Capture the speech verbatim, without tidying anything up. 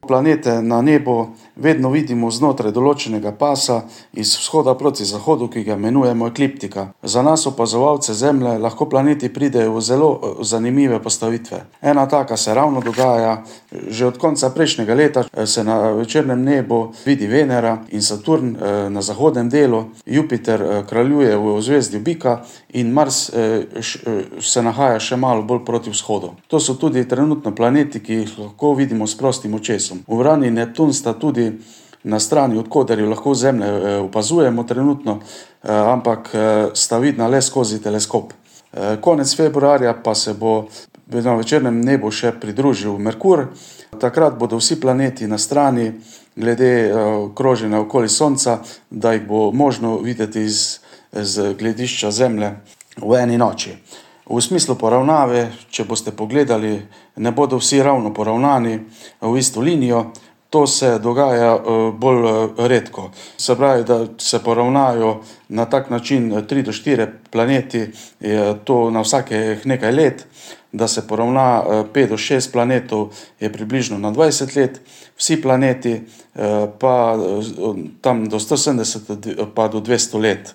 Planete na nebu vedno vidimo znotraj določenega pasa iz vzhoda proti zahodu, ki ga imenujemo ekliptika. Za nas opazovalce Zemlje lahko planeti pridejo v zelo zanimive postavitve. Ena taka se ravno dogaja. Že od konca prejšnjega leta se na večernem nebu vidi Venera in Saturn na zahodnem delu, Jupiter kraljuje v zvezdi Bika in Mars se nahaja še malo bolj proti vzhodu. To so tudi trenutno planeti, ki jih lahko vidimo s prostim očesom. Uran in Neptun sta tudi na strani, od koder jo lahko Zemlje opazujemo trenutno, ampak sta vidna le skozi teleskop. Konec februarja pa se bo na večernem nebu še pridružil Merkur. Takrat bodo vsi planeti na strani glede kroženja okoli Sonca, da jih bo možno videti iz, z gledišča Zemlje v eni noči. V smislu poravnave, če boste pogledali, ne bodo vsi ravno poravnani v isto linijo. To se dogaja bolj redko. Se pravi, da se poravnajo na tak način tri do štiri planeti, je to na vsakih nekaj let. Da se poravna pet do šest planetov, je približno na dvajset let. Vsi planeti pa tam do sto sedemdeset pa do dvesto let.